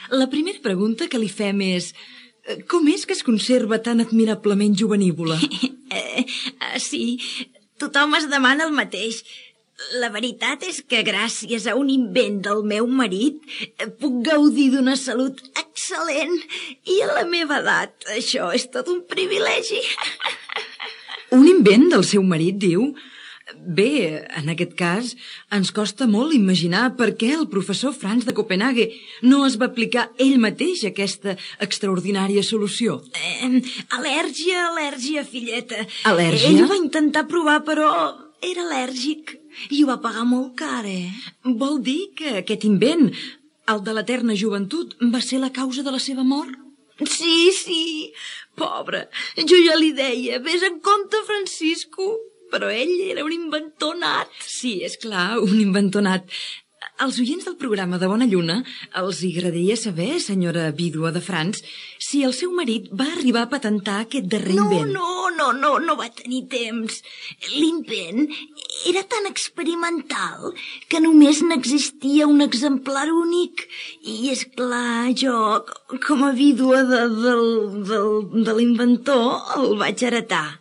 La primera pregunta que li fem és: com és que es conserva tan admirablement jovenívola? Sí, tothom es demana el mateix. La veritat és que gràcies a un invent del meu marit puc gaudir d'una salut excel·lent i a la meva edat això és tot un privilegi. Un invent del seu marit, diu? Bé, en aquest cas, ens costa molt imaginar per què el professor Franz de Copenhague no es va aplicar ell mateix aquesta extraordinària solució. Al·lèrgia, filleta. Al·lèrgia? Ell va intentar provar, però era al·lèrgic i ho va pagar molt car, Vol dir que aquest invent, el de l'eterna joventut, va ser la causa de la seva mort? Sí, pobre. Jo ja li deia, vés en compte, Francisco. Però ell era un inventor nat. Sí, és clar, un inventor nat. Als oients del programa de Bona Lluna els agradaria saber, senyora vídua de Franz, si el seu marit va arribar a patentar aquest darrer invent. No va tenir temps. L'invent era tan experimental que només n'existia un exemplar únic. I, és clar, jo, com a vídua de l'inventor, el vaig heretar.